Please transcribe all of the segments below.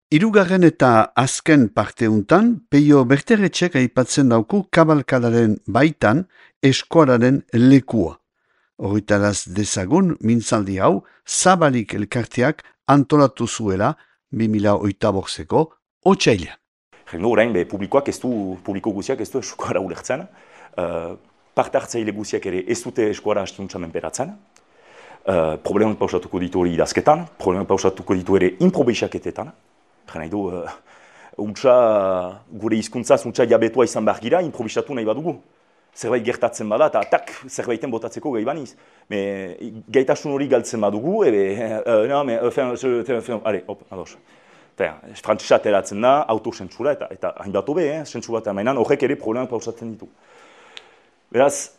Hirugarren eta azken parteuntan, Peio Berteretxek aipatzen dauku kabalkadaren baitan eskuararen lekua. Horritaraz dezagun, mintzaldi hau, Zabalik elkarteak antolatu zuela 2008ko otsailean. Jengo orain, publiko guziak ez du eskuara ulertzen, parte hartzaile guziak ere ez dute eskuara hastiuntza menperatzen, problemak pausatuko ditu hori idazketan, problemak pausatuko ditu ere improbisaketetan, nahi du, gure hizkuntzaz jabetua izan behar gira, improvisatu nahi badugu. Zerbait gertatzen bada, eta tak zerbaiten botatzeko gai baniz. Gaitasun hori galtzen badugu, ados. Frantzisa ateratzen da, autosentsura, eta hainbat hobe, sentsura bat amainan, horrek ere problemak pausatzen ditu. Beraz,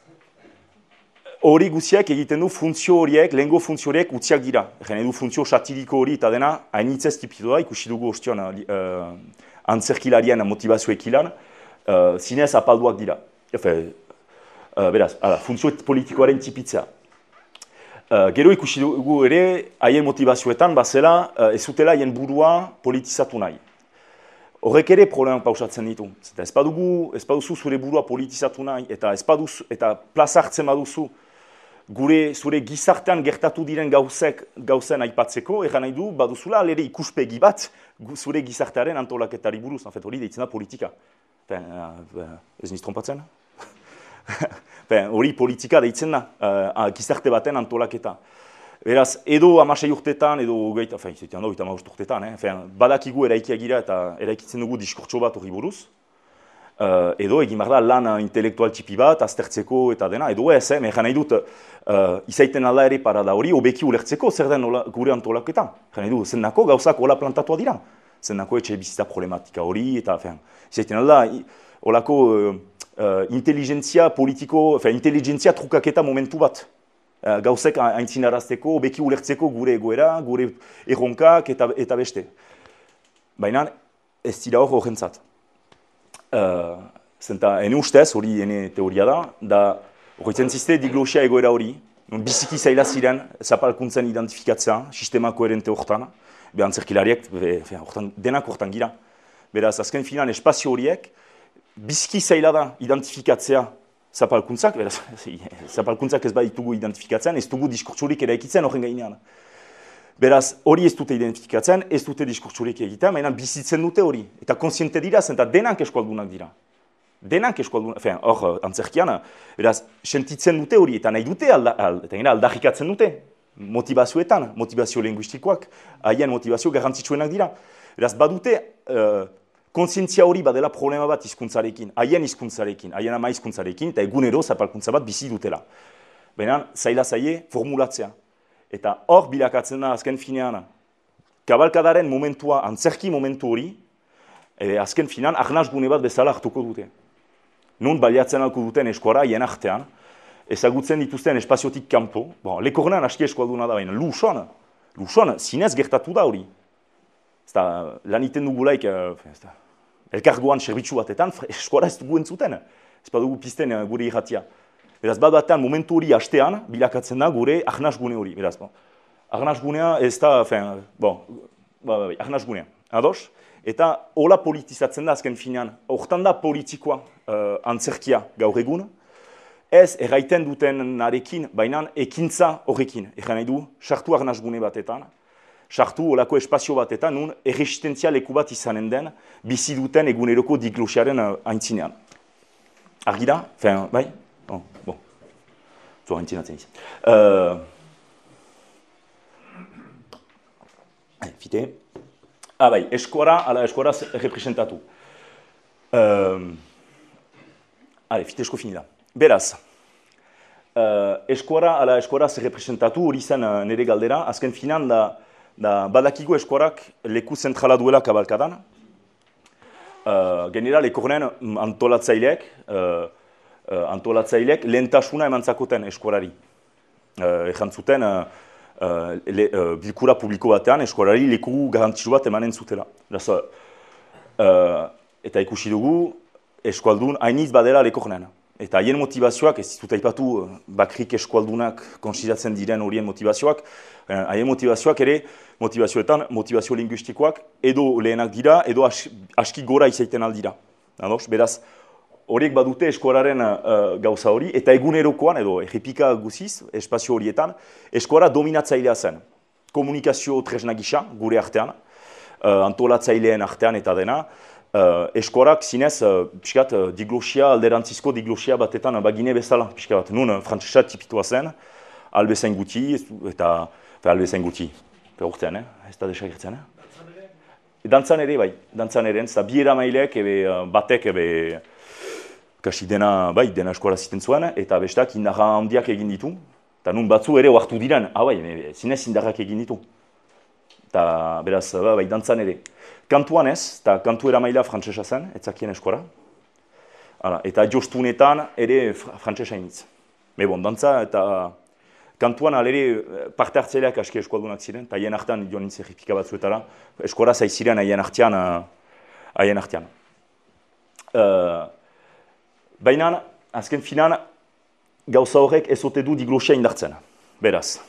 hori guziak egiten du funtzio horiek, lehengo funtzio horiek utziak dira. Egin du funtzio satiriko hori eta dena hainitzez tipitu da, ikusi dugu ostion antzerkilarien motivazioek ilan, zinez apalduak dira. Beraz, funtzio politikoaren tipitzea. Gero ikusi dugu ere, haien motivazioetan, bazela, ez zutela haien burua politizatu nahi. Horrek ere problemak pausatzen ditu. Ez baduzu zure burua politizatu nahi, eta plaza hartzen baduzu, zure gizartean gertatu diren gauzen aipatzeko, egan nahi du, baduzula alere ikuspegi bat zure gizartearen antolaketari buruz. Hori deitzen da politika. Ez niz trompatzen? Hori politika deitzen da, gizarte baten antolaketa. Beraz, edo 16 urtetan, edo urtetan, badakigu eraikiak gira eta eraikitzen dugu diskurtso bat hori buruz. Edo egin behar da lan intelektual tipi bat, aztertzeko eta dena, edo ez, egan nahi dut, izaiten alda ere parada hori, obeki ulertzeko zer den gure antolaketa. Egan nahi dut, zendako gauzak hola plantatua dira. Zendako etxe bizitza problematika hori, eta izaiten alda, holako inteligentzia politiko, inteligentzia trukaketa momentu bat. Gauzek aintzinarazteko, obeki ulertzeko gure egoera, gure erronkak eta beste. Baina ez dira hor horrentzat. Zenta, ene ustez, hori ene teoria da horretzen ziste diglosia egoera hori, biziki zaila ziren zapalkuntzen identifikatzea, sistema koherente horretan, antzerkilariek, denak horretan gira. Beraz, azken finan espazio horiek, biziki zaila da identifikatzea zapalkuntzak, beraz, zapalkuntzak ez baditugu identifikatzen, ez dugu diskurtsurik eraikitzen horren gainean. Beraz, hori ez dute identifikatzen, ez dute diskurtsurik egiten, baina bizitzen dute hori. Eta konsiente dira, zenta denak eskualdunak dira. Denak eskualdunak, hor antzerkian, beraz, sentitzen dute hori, eta nahi dute aldarrikatzen dute. Motivazioetan, motivazio linguistikoak, haien motivazio garrantzitsuenak dira. Beraz, badute konsientzia hori badela problema bat hizkuntzarekin, haien hizkuntzarekin, haien ama hizkuntzarekin, eta egunero zapalkuntza bat bizi dutela. Baina, zaila zaie formulatzea. Eta hor bilakatzen da azken finean, kabalkadaren momentua, antzerki momentu hori, azken finean, arnaz gune bat bezala hartuko dute. Nun baliatzen alko duten eskuara, hien artean, ezagutzen dituzten espaziotik kanpo, lekornean aski eskualduna da baina, Luxon, zinez gertatu da hori. Lan iten dugulaik, elkargoan serbitzu batetan, eskuara ez dugu entzuten, ez badugu pizten gure irratia. Beraz, bat momentu hori hastean, bilakatzen da gure arnaz gune hori. Beraz, arnaz gunea ez da, arnaz gunea, ados? Eta hola politizatzen da azken finean, hortan da politikoa antzerkia gaur egun, ez erraiten duten narekin, baina ekintza horrekin. Egan nahi du, sartu arnaz gune batetan, sartu holako espazio batetan, nun erresistentzia leku bat izanen den, bizi duten eguneroko diglosiaren aintzinean. Argi da? Bai? Zua aintzinatzen izan. Fite. Bai, eskuara, ala eskuaraz representatu. Fite esko finila. Beraz, eskuara, ala eskuaraz representatu hori zen nire galdera, azken finan da badakigu eskuarak leku zentrala duela kabalkadan. Genera, lekornen antolatzaileek lehentasuna emantzakoten eskuarari. Ejan zuten, bilkura publiko batean eskuarari leku garantzisu bat emanen zutela. Eta ikusi dugu eskualdun hainiz badela lekornen. eta haien motivazioak, ez ditut aipatu bakrik eskualdunak konsideratzen diren horien motivazioak, haien motivazioak ere, motivazioetan, motivazio linguistikoak, edo lehenak dira, edo aski gora izaiten aldira. Beraz, horiek badute eskuararen gauza hori, eta egunerokoan, edo errepika guziz, espazio horietan, eskuara dominatzailea zen. Komunikazio tresna gisa, gure artean, antolatzaileen artean eta dena, eskuarak zinez, piskat, diglosia, alderantzizko diglosia batetan bagine bezala, piskat, nun frantzesa tipitua zen, albezain guti, eta albezain guti, urtean, ez da desagertzen, Dantzan ere, bai, dantzan ere, eta bi eramaileek, batek, kasi dena eskuara ziten zuen, eta bestak indarra handiak egin ditu, eta nun batzu ere oartu diren, bai, zinez indarrak egin ditu. Eta beraz, bai, dantzan ere. Kantuan ez, eta kantu eramaila frantzesa zen, etzakien eskuara. Eta jostunetan ere frantzesa initz. Dantza eta kantuan alere parte hartzeleak aski eskualdunak ziren, eta haien artean joan nintzen errepika batzuetara, eskuara zaiziren haien artean. Baina, azken finan, gauza horrek ez ote du diglosia indartzen. Beraz.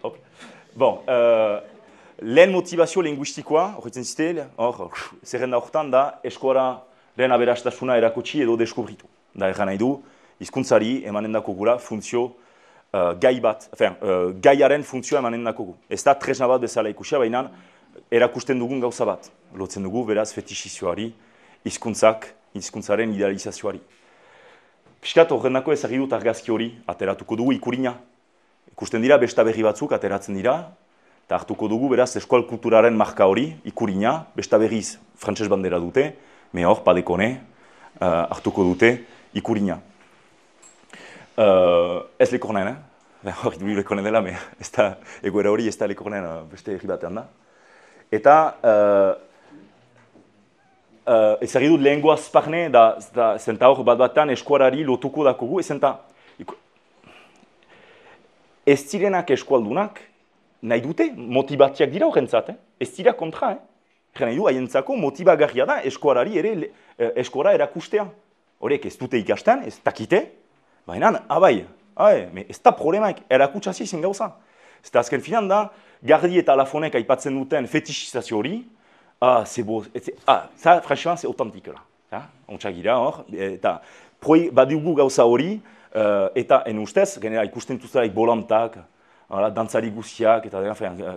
Hop. Lehen motivazio linguistikoa, horretzen zite, zerrenda horretan da, eskuararen aberastasuna erakutsi edo deskubritu. Da erran nahi du, hizkuntzari emanen dako gula funtzio gaiaren funtzioa emanen dako gu. Ez da tresna bat bezala ikusia, baina erakusten dugun gauza bat. Lotzen dugu, beraz, fetixizioari, hizkuntzaren idealizazioari. Piskat horrendako ezagri dut argazki hori, ateratuko dugu ikurina. Ikusten dira, besta berri batzuk ateratzen dira, eta hartuko dugu, beraz, eskual kulturaren marka hori, ikurina, besta berriz frantses bandera dute, me hor, padekone, hartuko dute ikurina. Ez lekornen, hori du lekornen dela, ez da, egoera hori ez da lekornen beste herri batean da. Eta, ezagri dut lehengo azparne, zenta hor bat-batan eskuarari lotuko dakogu, ez zirenak eskualdunak nahi dute, motibatiak dira horrentzat, ez dira kontra, nahi du haientzako motibagarria da eskuarari ere eskuara erakustea. Horiek ez dute ikasten, ez dakite, baina, ez da problemaik erakutsazi zen gauza. Ez da azken finan da, Gardi eta Lafonek aipatzen duten fetixizazio hori, franchement, c'est authentique là. Ontsak gira hor, eta badiugu gauza hori, eta en ustez, genera ikusten duzelaik bolantak, dantzari guziak, eta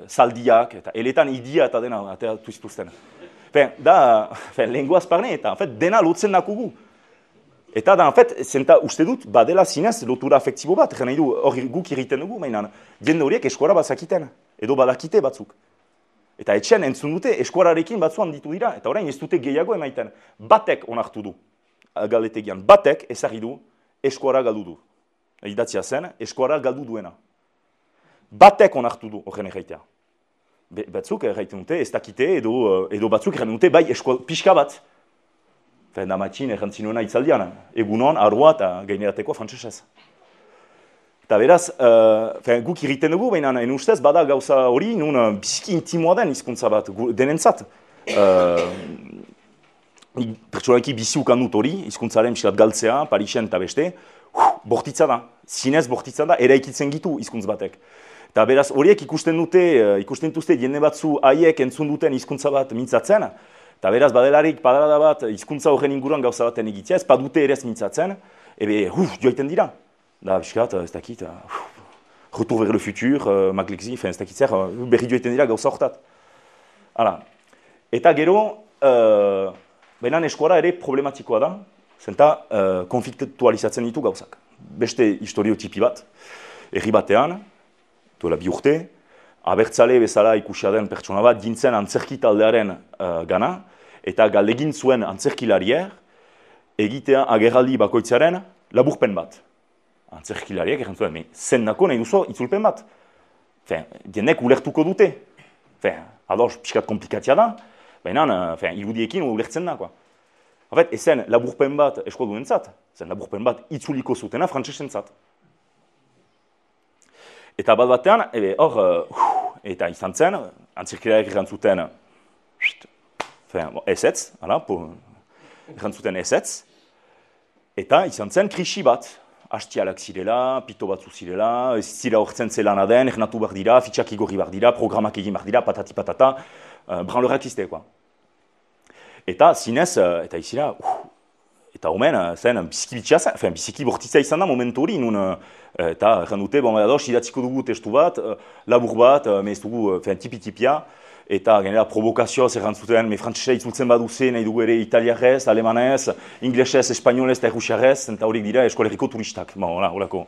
zaldiak, eta eletan idia eta dena ateratu zituzten. Lehengoaz parne, eta dena lotzen dakugu. Eta da, zenta uste dut, badela zinez lotura afektibo bat, nahi du hori guk irriten dugu, mainan, jende horiek eskuara bazakiten, edo badakite batzuk. Eta etxean entzun dute eskuararekin batzuan ditu dira, eta orain ez dute gehiago emaiten. Batek onartu du, galdetegian, batek ezagri du eskuara galdu du. Idatzia zen, eskuara galdu duena. Batek onartu du horren erraitea. Batzuk erraiten dute, ez dakite, edo batzuk erraiten dute, bai pixka bat. Da matxin errantzinuena itzaldian, egunon, arroa eta gainerateko frantsesez. Eta beraz, guk irriten dugu, baina en ustez bada gauza hori, nun biziki intimoa den hizkuntza bat, denentzat. Pertsonalki bizi ukan dut hori, hizkuntzaren pixkat galtzea, Parisen eta beste, bortitza da, zinez bortitza da, eraikitzen gitu hizkuntz batek. Eta beraz, horiek ikusten dute jende batzu haiek entzun duten hizkuntza bat mintzatzen, eta beraz, badelarik padarada bat hizkuntza horren inguruan gauza baten egitzea, ez badute ere ez mintzatzen, joaiten dira. Da, biskat, ez dakit, Retour vers le futur, Maglexi, ez dakit zer, berri joaiten dira gauza horretat. Eta gero, benan eskuara ere problematikoa da, zenta konfliktualizatzen ditu gauzak. Beste historiotipi bat, herri batean, duela 2 urte, abertzale bezala ikusia den pertsona bat, gintzen antzerki taldearen gana, eta galdegin zuen antzerkilarier, egitea agerraldi bakoitzaren laburpen bat. Antzerkilariek errantzuen, zen nako nahi duzu itzulpen bat. Dienek ulertuko dute. Ados, pixkat komplikatzia da, baina irudiekin ulertzen da. Ezen laburpen bat eskualduentzat, zen laburpen bat itzuliko zutena frantsesentzat. Eta bat batean, eta izan zen, antzerkilariek errantzuten, ezetz, Erantzuten ezetz, eta izan zen krisi bat. Hastialak zirela, pito batzu zirela, ez zira hortzen zelana den, ernatu behar dira, fitxak igorri behar dira, programak egin behar dira, patati patata, branlorak iztekoa. Eta zinez, eta izira, eta omen, zen biziki bortitza izan da momentu hori, nun, eta erran dute, bon, ados, idatziko dugu testu bat, labur bat, ez dugu tipi-tipia, eta genera provokazioa zerrantzuten, me frantzesa itzultzen baduze, nahi dugu ere italiarrez, alemanez, inglesez, espainolez eta errusiarrez, eta horiek dira eskolerriko turistak. Bon, horako.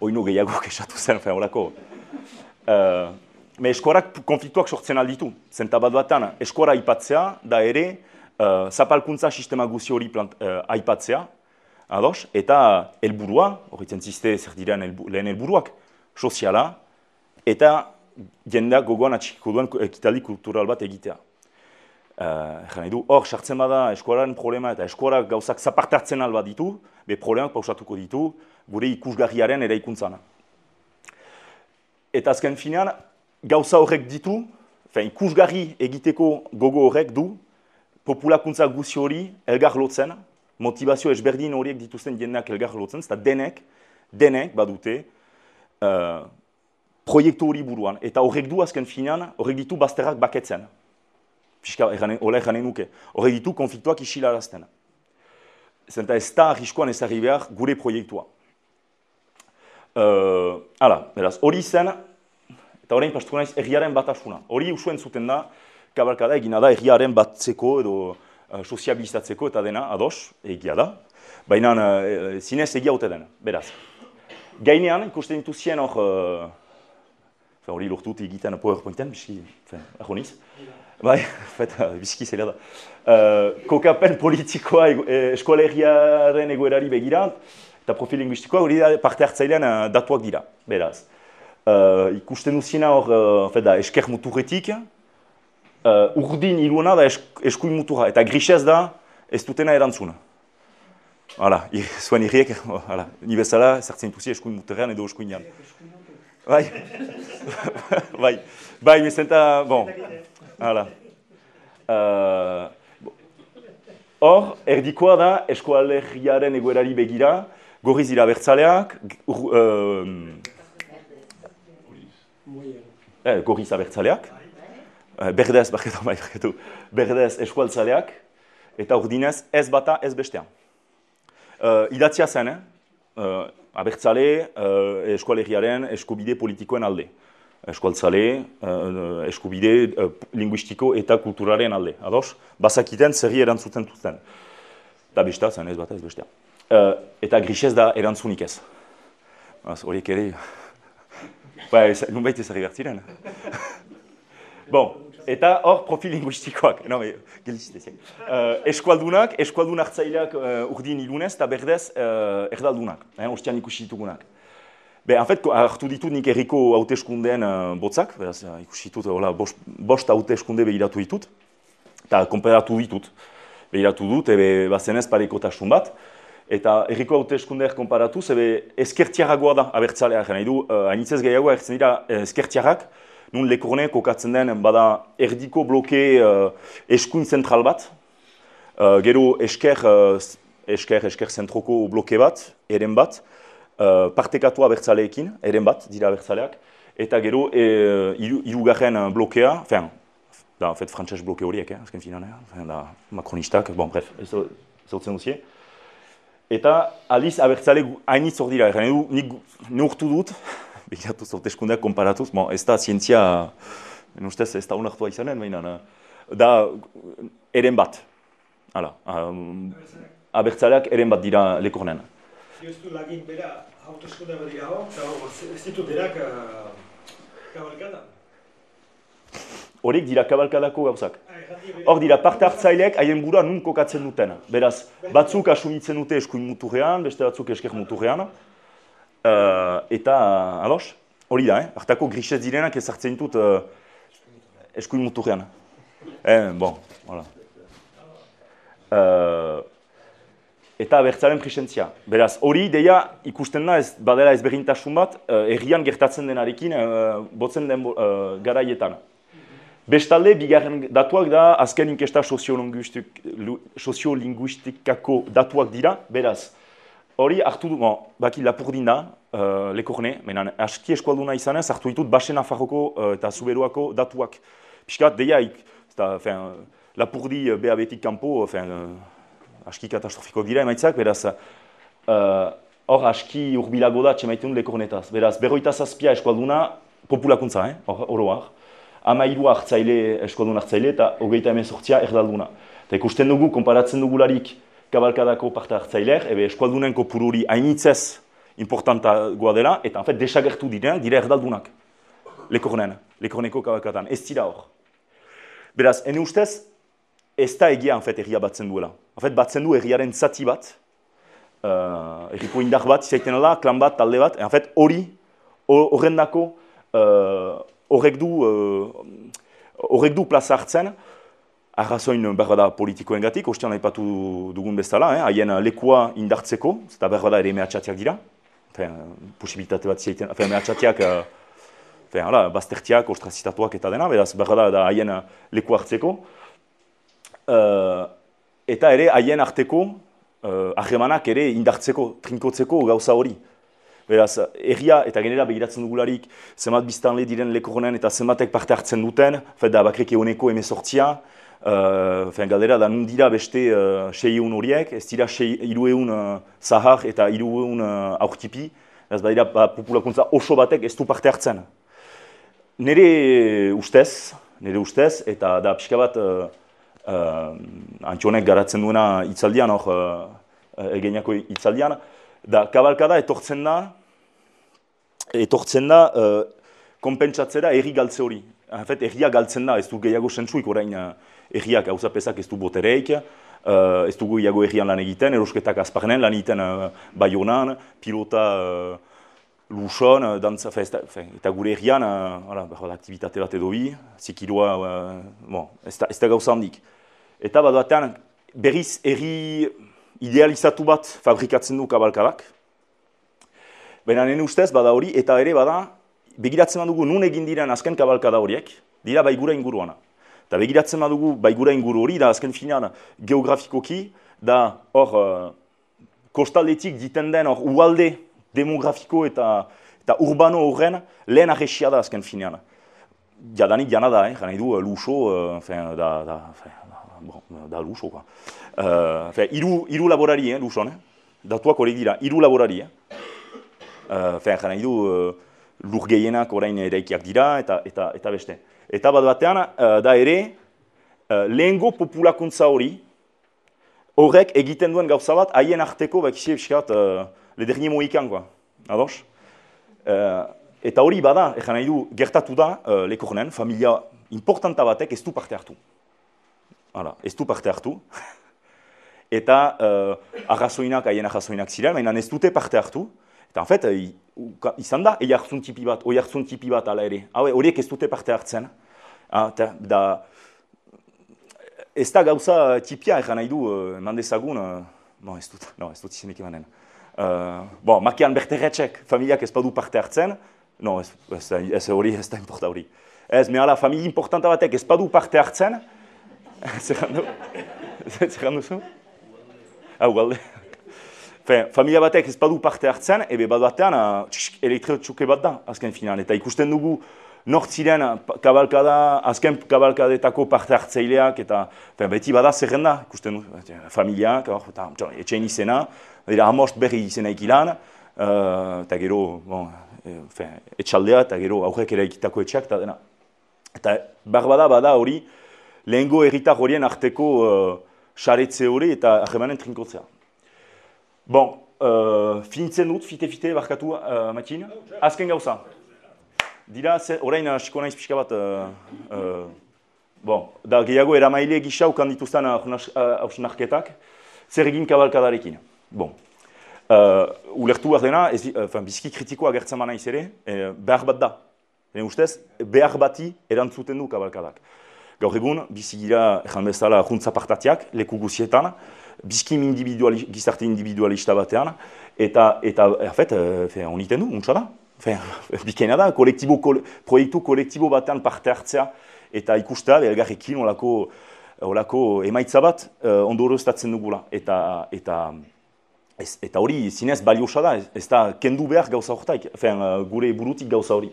Oino gehiago kesatu zen, horako. Me eskorak konfliktuak sortzen alditu. Zenta bat batan, eskora aipatzea, da ere, zapalkuntza sistema guzi hori aipatzea, ados, eta helburua, horretzen ziste zer diren lehen helburuak, soziala, eta jendeak gogoan atxikiko duen ekitaldi kultural bat egitea. Hor, sartzen bada eskolaren problema eta eskorak gauzak zapartartzen alba ditu, be problemak pausatuko ditu, gure ikusgarriaren eraikuntzana. Eta azken finean, gauza horrek ditu, ikusgarri egiteko gogo horrek du, populakuntza guzi hori elgar lotzen, motivazio ezberdin horiek dituzten jendeak elgar lotzen, eta denek badute, proiektu hori buruan, eta horrek du azken finean, horrek ditu bazterrak baketzen. Hola eranen nuke. Horrek ditu konfliktuak isilarazten. Zenta ez da arriskoan ezarri behar gure proiektua. Beraz, hori zen, eta horrein pastuko naiz erriaren batasuna. Hori usuen zuten da, kabalkada egina da erriaren batzeko edo soziabilizatzeko eta dena, ados, egia da. Baina zinez egia haute dena, beraz. Gainean, ikusten dituzien hor, hori lortut egiten PowerPointen, biski, ahoniz. Bai, biziki zela da. Kokapen politikoa eskolegiaren egoerari begira, eta profil linguistikoa hori da parte hartzailean datuak dira, beraz. Ikusten duziena hor, esker muturretik, urdin iluena da eskuin muturra, eta grisez da ez dutena erantzuna. Hala, zuen irriek, ni bezala, zertzen duzi eskuin muturrean edo eskuinean. Bai, mezenta, bon, hala. Hor, erdikoa da eskualerriaren egoerari begira, gorriz dira abertzaleak, gorriz abertzaleak, berdez eskualtzaleak, eta urdinez ez bata ez bestean. Idatzia zen, abertzale eskualerriaren eskubide politikoen alde. Eskualtzale, eskubide linguistiko eta kulturaren alde. Ados, bazakiten zerri erantzuten duten. Eta bestea zen ez bata ez bestean. Eta grisez da erantzunik ez. Horiek ere, nunbait ezarri behar ziren. Bon, eta hor profil linguistikoak, eskualdun hartzaileak urdin ilunez eta berdez erdaldunak, ostian ikusi ditugunak. En fait, hartu ditut nik herriko hauteskundeen botzak, ikusi ditut, bost hauteskunde behiratu ditut, eta konperatu ditut. Behiratu dut, bazenez parekotasun bat, eta herriko hauteskundeak konparatu, ezkertiarragoa da abertzalea, nahi du, hainitzez gehiago ertzen dira ezkertiarrak, nun Lekorne kokatzen den bada erdiko bloke eskuin zentral bat, gero esker zentroko bloke bat, eren bat, partekatu abertzaleekin, eren bat, dira abertzaleak, eta gero hirugarren blokea, frantses bloke horiek, azken finan, makronistak, bon, bref, zautzen duzie. Eta aliz abertzale hainitz hor dira, nik neurtu dut, begiratu hauteskundeak konparatuz, ez da zientzia, ustez ez da unartua izanen, baina, da eren bat, abertzaleak eren bat dira Lekornen. Ez du lagin bera hauteskunde bat dira hor, ez ditu derak kabalkada? Horiek dira kabalkadako gauzak. Hor dira parte hartzaileek haien burua nun kokatzen duten. Beraz, batzuk asumitzen dute eskuin muturrean, beste batzuk esker muturrean. Eta, ados, hori da, hartako grisez direnak ezartzen ditut eskuin muturrean. Bon, hola. Eta abertzalen presentzia. Beraz, hori deia ikusten da badela ezberdintasun bat, herrian gertatzen denarekin botzen den garaietan. Bestalde, bigarren datuak da, azken inkesta soziolinguistikako datuak dira, beraz. Hori hartu du, baki Lapurdin da, Lekorne, menan aski eskualduna izanez, hartu ditut Basen Nafarroko eta Zuberoako datuak. Piskat, deiaik, Lapurdi BAB-tik kanpo, aski katastrofiko dira emaitzak, beraz, hor aski urbilago da txemaitun Lekornetaz. Beraz, 27 eskualduna populakuntza, oroar. 13 hartzaile, eskualdun hartzaile, eta 38 erdalduna. Eta ikusten dugu, konparatzen dugularik kabalkadako parte hartzaileak, eskualdunen kopururi hainitzez importantagoa dela, eta en fait, desagertu direnak, dira erdaldunak. Lekorneko kabalkadan, ez dira hor. Beraz, ene ustez, ez da egia, en fait, erria batzen duela. En fait, batzen du erriaren zati bat, erriko indar bat, izaiten da, klan bat, talde bat, en fait, horrendako, horrek du plaza hartzen, arrazoin berbada politikoengatik, ostean aipatu dugun bezala, haien lekua indartzeko, eta berbada ere mehatxatiak dira, posibilitate bat ziaiten, mehatxatiak, baztertiak, ostrazitatuak eta dena, beraz berbada da haien lekua hartzeko, eta ere haien arteko harremanak ere indartzeko, trinkotzeko gauza hori. Beraz, erria eta genera begiratzen dugularik, zenbat biztanle diren Lekornen eta zenbatek parte hartzen duten, da bakrek egoneko 18, galdera da nun dira beste 600 horiek, ez dira 300 zahar eta 300 aurtipi, ez badira populakuntza oso batek ez du parte hartzen. Nire ustez, eta da pixka bat Antionek garatzen duena itzaldian, egeniako itzaldian, da kabalkada etortzen da konpentsatzera erri galtze hori. En fait, erria galtzen da, ez du gehiago sentsuik orain erriak hauzapezak ez du botereik, ez du gehiago errian lan egiten, erosketak azparnen lan egiten Baionan, pilota Luson, dantza, eta gure errian, aktivitate bat edo bi, zikiroa, ez da gauza handik. Eta bat batean, berriz erri idealizatu bat fabrikatzen du kabalkadak. Baina nene ustez, bada hori, eta ere bada, begiratzen badugu nun egin diren azken kabalkada horiek, dira baigura inguruana. Eta begiratzen badugu baigura inguru hori, da azken finean geografikoki, da hor kostaldetik diten den hor ualde demografiko eta urbano horren lehen arresia da azken finean. Jadanik jana da, nahi du luxo, da luxo, iru laborari, luxon, datuak horiek dira, iru laborari. Nahi du lur gehienak orain eraikiak dira eta beste. Eta bat batean, da ere, lehengo populakuntza hori, horrek egiten duen gauza bat, haien arteko, bakizie biskat, le dernier mohikan, ados? Eta hori bada, nahi du, gertatu da, Lekornen, familia importanta batek ez du parte hartu. Ez du parte hartu. Eta arrazoinak, haien arrazoinak ziren, baina ez dute parte hartu. Eta, en fait, izan da, oihartzun tipi bat ala ere. Horiek ez dute parte hartzen. Ez da gauza tipia, nahi du, eman dezagun, ez dut izenik emanen. Makian berterretxek, familiak ez badu parte hartzen, ez hori, ez da importa hori. Ez, mehala, familia importanta batek ez badu parte hartzen, zer duzu? Ugalde. Familia batek ez badu parte hartzen, bat batean elektrotxuke bat da, azken finan. Eta ikusten dugu nortziren kabalkada, azken kabalkadetako parte hartzaileak, eta beti bada zerrenda, ikusten dugu, familiak, etxein izena, amost berri izena ikilan, eta gero etxaldea, eta gero aurrek ere ikitako etxeak, eta dena. Eta barbada bada hori, lehengo herritar horien arteko saretze hori eta harremanen trinkotzea. Finitzen dut, fite, barkatu, Matin. Azken gauza. Dira, orain hasiko naiz pixka bat, da gehiago eramaile gisa ukan dituzten hausnarketak, zer egin kabalkadarekin. Ulertu behar dena, biziki kritikoa agertzen ba naiz ere, behar bat da. Ustez, behar bati erantzuten du kabalkadak. Gaur egun, bizigira, ezan bezala, juntza partatiak, leku guzietan, bizkim gizarte individualista batean, eta honiten du, untsa da. Bikaina da, proiektu kolektibo batean parte hartzea, eta ikustea elgarrekin olako emaitza bat ondorioztatzen dugula. Eta hori zinez baliosa da, ez da kendu behar gauza horretaik, gure burutik gauza hori.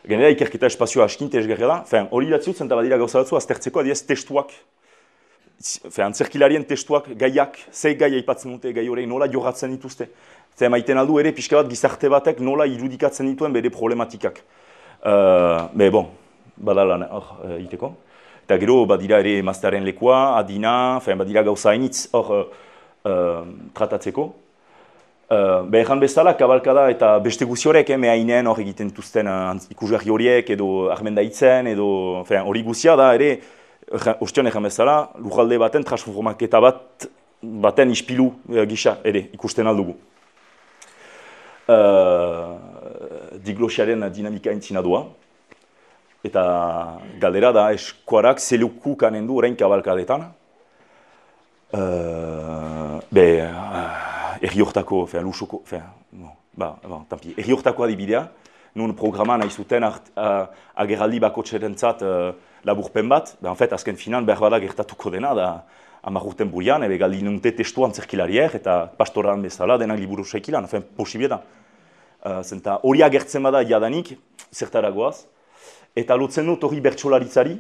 Genera ikerketa espazioa askinte esgerra da, hori datziutzen eta badira gauza batzu aztertzeko adiez testuak, antzerkilarien testuak, gaiak, ze gai aipatzen dute, gai hori nola jorratzen dituzte. Zer maiten aldu ere pixka bat gizarte batek nola irudikatzen dituen bere problematikak. Badala iteko. Eta gero badira ere emaztearen lekua, adina, badira gauza hainitz hor tratatzeko. Egan bezala, kabalkada eta beste guzi horiek, mehainen hor egiten dituzten ikusgarri horiek, edo armendaitzen, edo hori guzia da ere, ostion egan bezala, lujalde baten transformaketa baten ispilu gisa ere ikusten aldugu. Diglosiaren dinamika entzina doa. Eta galdera da eskuarak zeluku kanen du orain kabalkadetan. Erri hortako, lusoko, erri hortako adibidea, nun programa nahi zuten agerraldi bakotxerentzat laburpen bat, azken finan behar bada gertatuko dena, da 10 urten burian, galdi nunte testu antzerkilariek eta pastoran bezala denak liburu saikilan, posibie da. Zenta hori agertzen bada jadanik, zertaragoaz, eta lotzen dut hori bertsolaritzari,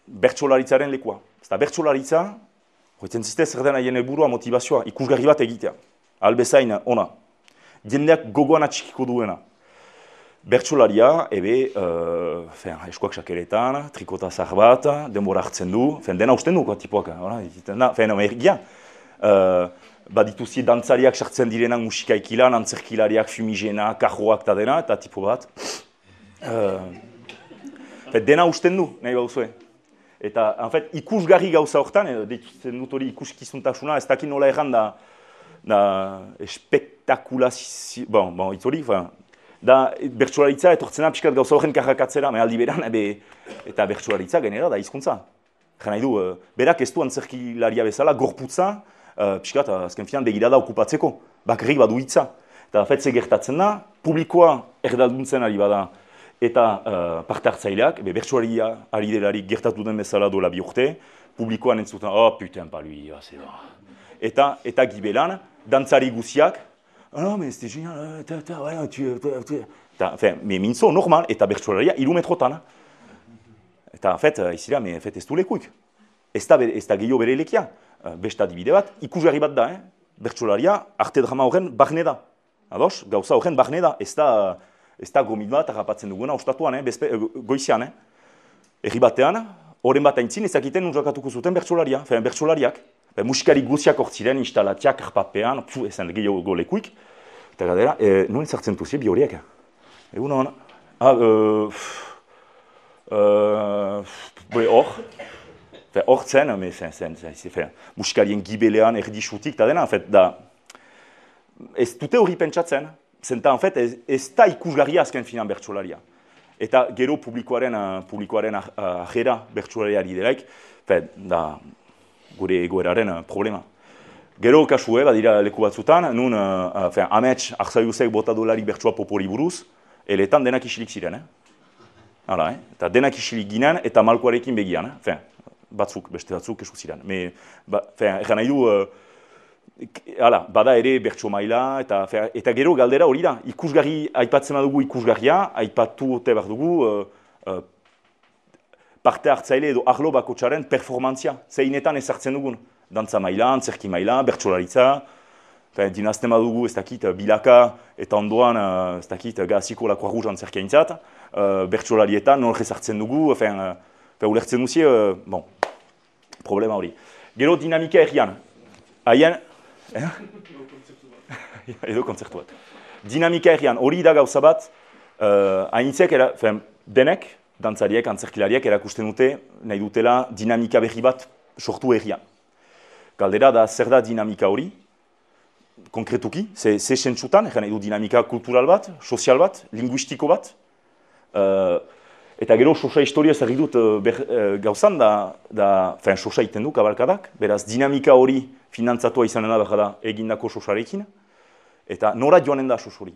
bertsolaritzaren lekua. Eta bertsolaritza, hoitzen ziste zer den haien helburua motivazioa, ikusgarri bat egitea. Albezain ona. Jendeak gogoan atxikiko duena. Bertsolaria, eskuak sakeretan, trikota zahar bat, denbora hartzen du, dena usten du, tipuak. Ergia. Badituzi dantzariak sartzen direnak musikaikilan, antzerkilariak, fumigena, kajoak eta dena, eta tipo bat. Dena usten du, nahi bauzue. Eta, ikusgarri gauza horretan, deitzen dut hori ikuskizuntasuna, ez dakit nola erran da espektakulazio, hitz hori, da bertsolaritza etortzena pixkat gauza horren karrakatzera, aldi beran, eta bertsolaritza genera da hizkuntza. Nahi du, berak ez du antzerkilaria bezala, gorputza, pixkat, azken finan, begirada okupatzeko, bakarrik badu hitza. Eta fetze gertatzen da, publikoa erdalduntzen ari bada, eta parte hartzaileak, bertsolaria ari delarik gertatu den bezala dola 2 urte, publikoan entzuten, putain, pa lui, eta gibelan, dantzari guziak, mais c'était génial, mintzo, normal, eta bertsolaria 3 metrotan. Eta, izira, ez du lekuik. Ez da gehiago bere lekia. Beste adibide bat, ikusgarri bat da, bertsolaria arte drama horren barne da. Ados, gauza horren barne da, ez da gomit bat harrapatzen duguna ostatuan, goizian. Herri batean, horren bat aintzin ezakiten nuntzakatuko zuten bertsolaria, bertsolariak. Musikari guziak hortziren, instalatiak, arpapean, ezen gehiago lekuik. Eta gadera, nuen zartzen duzie bi horiek. Egun hon, hor zen, musikarien gibelean erdisutik, eta dena, ez dute hori pentsatzen, zenta, ez da ikusgarria azken finan bertsolaria. Eta gero publikoaren ajera bertsolariari delaik, da gure egoeraren problema. Gero kasue, badira leku batzutan, nun amets arzaiuzek bota dolarik bertsua popori buruz, eletan denak isilik ziren. Hala, eta denak isilik ginen eta malkoarekin begian. Beste batzuk esu ziren. Egan nahi du, bada ere bertso maila, eta gero galdera hori da. Ikusgarri, aipatzen badugu ikusgarria, aipatu ote behar dugu parte hartzaile edo arlo bakotxaren performantzia. Zeinetan ezartzen dugun. Dantza maila, antzerki maila, bertsolaritza, dinazten badugu ez dakit bilaka eta ondoan ez dakit gaziko la Croix Rouge antzerkia intzat, bertsolarietan nolge ezartzen dugu, ulertzen duzie, problema hori. Gero dinamika errian. Haien... Edo kontzertu bat. Dinamika errian, hori da gauza bat, hainitzek, denek, dantzariek, antzerkilariek erakusten dute, nahi dutela dinamika berri bat sortu errian. Galdera da zer da dinamika hori, konkretuki, ze sentsutan, nahi du dinamika kultural bat, sozial bat, linguistiko bat, eta gero sosa historia zer dut gauzan sosa iten du kabalkadak, beraz dinamika hori finantzatua izanen da egindako sosarekin, eta nora joanen da sos hori.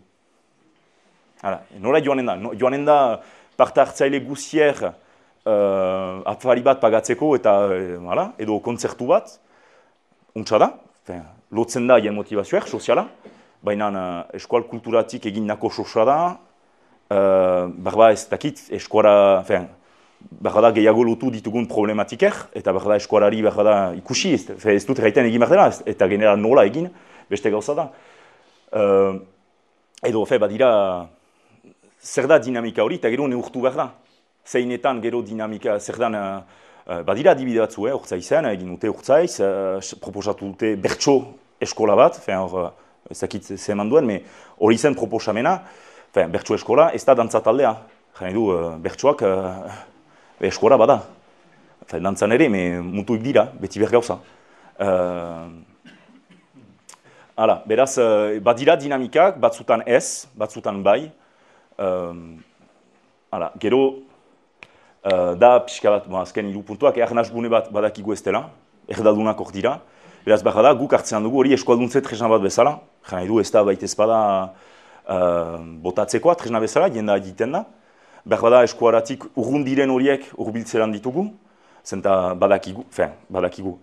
Nora joanen da, parte hartzaile guzier afari bat pagatzeko eta edo kontzertu bat, untsa da, lotzen da hien motivazioak, soziala, baina eskual kulturatik egindako sosa da, berba ez dakit, eskuara, berda gehiago lotu ditugun problematikek, eta berda eskuarari berda ikusi, ez dut erraiten egin behar dela, eta genera nola egin, beste gauza da. Edo, badira, zer da dinamika hori, eta gero neurtu behar da. Zeinetan gero dinamika, zer dan, badira adibide batzu, urtzaizen, egin dute urtzaiz, proposatu dute bertso eskola bat, ez dakit zeman duen, hori zen proposamena, bertso eskola, ez da dantza taldea. Jane du, bertsoak eskola bada. Dantzan ere, mutuik dira, beti bergauza. Beraz, badira dinamikak, batzutan ez, batzutan bai. Gero, da pixka bat, azken hiru puntuak, ernazgune bat badakigu ez dela, erdaldunak hor dira. Beraz, behar da, guk hartzean dugu hori eskualduntzea tresna bat bezala. Jane du, ez da baita ezpada botatzekoa, tresna bezala, jenda egiten da. Behar da, eskuaratik urrun diren horiek urbiltzeran ditugu, zenta badakigu.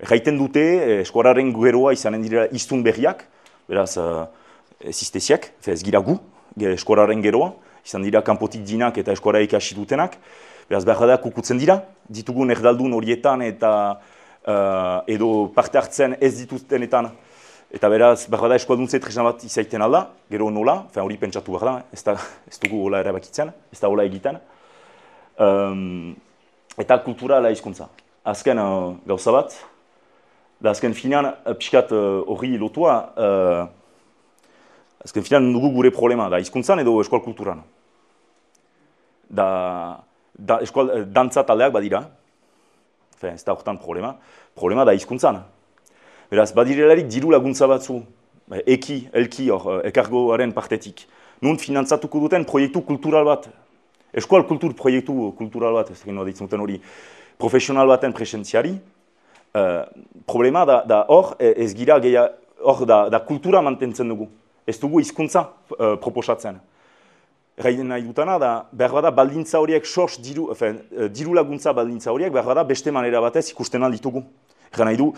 Erraiten dute, eskuararen geroa izanen direla iztun berriak, beraz, ez izteziak, ez gira gu, eskuararen geroa, izan dira kanpotik dinak eta eskuara ikasi dutenak, beraz, behar da, kukutzen dira, ditugun erdaldun horietan eta edo parte hartzen ez dituztenetan, eta beraz, behar da, eskualduntze tresna bat izaiten alda, gero nola, hori pentsatu behar da, ez dugu hola erabakitzen, ez da hola egiten. Eta kultura ala hizkuntza. Azken gauza bat, da azken finean, pixkat hori lotua, azken finean dugu gure problema, da hizkuntzan edo eskual kulturan. Dantza taldeak badira, ez da horretan problema da hizkuntzan. Beraz, badirelarik diru laguntza batzu, elki hor, ekargoaren partetik. Nun finantzatuko duten proiektu kultural bat, eskual kultur proiektu kultural bat, ez ditzen duten hori, profesional baten presentziari. Problema da hor, ez gira hor da kultura mantentzen dugu. Ez dugu hizkuntza proposatzen. Erraiden nahi dutana da, behar bada baldintza horiek diru laguntza baldintza horiek, behar bada beste manera batez ikusten alditugu. Erra nahi du,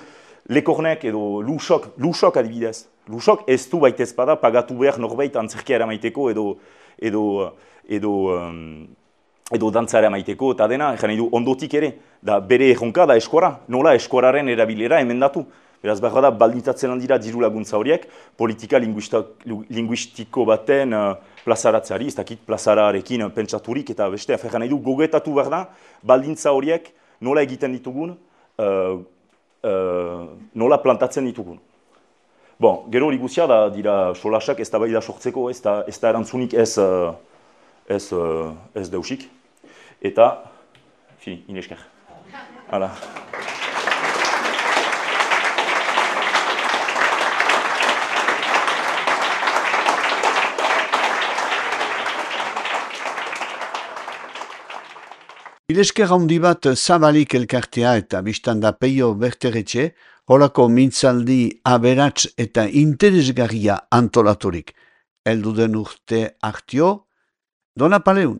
Lekornek edo Lusok adibidez. Lusok ez du baitez bada pagatu behar norbait antzerkia eramaiteko edo dantza eramaiteko eta dena, nahi du ondotik ere, da bere erronka da eskuara, nola eskuararen erabilera emendatu. Beraz, behar da, baldintzatzen handira diru laguntza horiek, politika linguistiko baten plazaratzeari, ez dakit plazararekin pentsaturik eta beste, nahi du gogetatu behar da, baldintza horiek nola egiten ditugun, nola plantatzen ditugun. Gero hori guzia da dira solasak ez da bai da sortzeko, ez da erantzunik ez deusik. Eta, inesker. Hala. Ilesker handi bat Zabalik elkartea eta biztanda Peio Berteretxe, holako mintzaldi aberats eta interesgarria antolaturik. Heldu den urte hartio, Dona Paleun.